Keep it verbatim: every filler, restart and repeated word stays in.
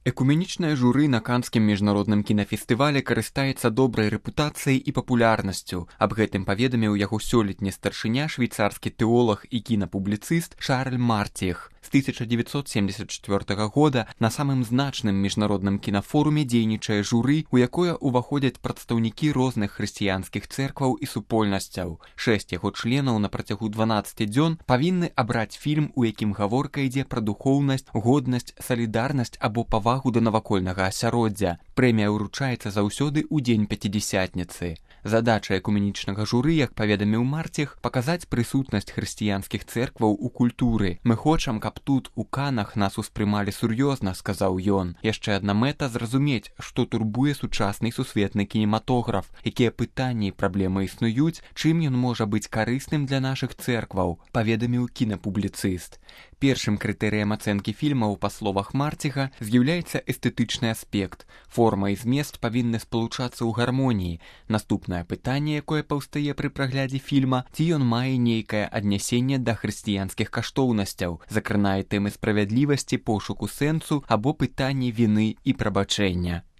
Экуменічнае журы на канскім міжнародным кінафестывале карыстаецца добрай рэпутацыяй і папулярнасцю. Аб гэтым паведаміў яго сёлетні старшыня, швейцарскі тэолаг і кінапубліцыст Шарль Мартіх. З тысяча дзевяцьсот семьдесят четвёртага года на самым значным міжнародным кінафоруме дзейнічае журы, у якое ўваходзяць прадстаўнікі розных хрысціянскіх цэркваў і супольнасцяў. Шэсць яго членаў на працягу дванаццаці дзён павінны абраць фільм, у якім гаворка ідзе пра духоўнасць, годнасць, салідарнасць або павагу да навакольнага асяроддзя. Прэмія ўручаецца заўсёды ў дзень пяцідзясятніцы. Задача экуменічнага журы, як паведаміў Мартіх, паказаць прысутнасць хрысціянскіх цэркваў у культуры. Мы хочам, каб тут, у Канах, нас успрымалі сур'ёзна, сказаў ён. Яшчэ адна мэта — зразумець, што турбуе сучасны сусветны кінематограф, якія пытанні і праблемы існуюць, чым ён можа быць карысным для нашых цэркваў, паведаміў кінапубліцыст. Першым крытэрыем ацэнкі фільмаў, па словах Мартіха, з'яўляецца эстэтычны аспект. Форма і змест павінны спалучацца ў гармоніі. Наступнае пытанне, якое паўстае пры праглядзе фільма, ці ён мае нейкае аднясенне да хрысціянскіх каштоўнасцяў, закранае тэмы справядлівасці, пошуку сэнсу або пытанні віны і прабачэння.